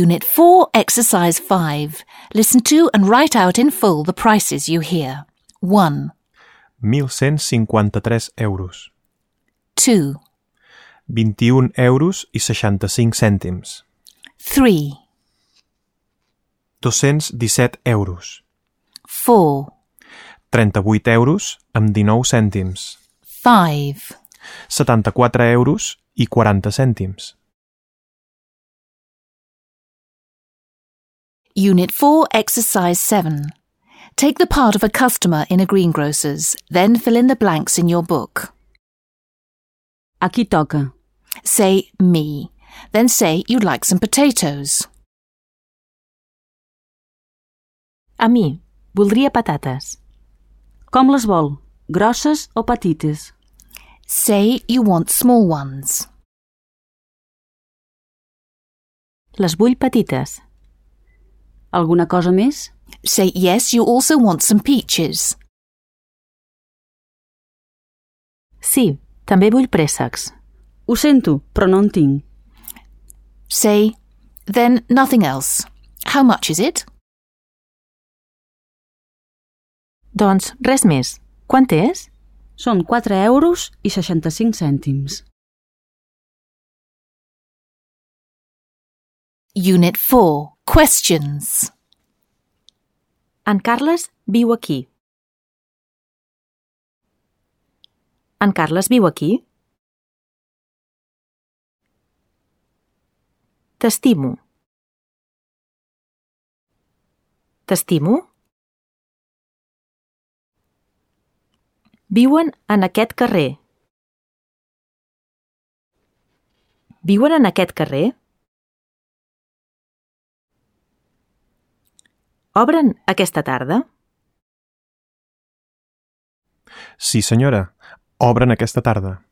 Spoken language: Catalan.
Unit 4, Exercise 5. Listen to and write out in full the prices you hear. 1. 1.153 euros. 2. 21 euros i 65 cèntims. 3. 217 euros. 4. 38 euros amb 19 cèntims. 5. 74 euros i 40 cèntims. Unit 4, Exercise 7. Take the part of a customer in a greengrocer's, then fill in the blanks in your book. A qui toca? Say, me. Then say you'd like some potatoes. A mi, voldria patates. Com les vol? Grosses o petites? Say you want small ones. Les vull petites. Alguna cosa més? Say yes, you also want some peaches. Sí, també vull préssecs. Ho sento, però no en tinc. Say, then nothing else. How much is it? Doncs res més. Quant és? Són 4 euros i 65 cèntims. Unit 4, Questions. En Carles viu aquí. En Carles viu aquí? T'estimo. T'estimo? Viuen en aquest carrer. Viuen en aquest carrer? Obren aquesta tarda? Sí, senyora. Obren aquesta tarda.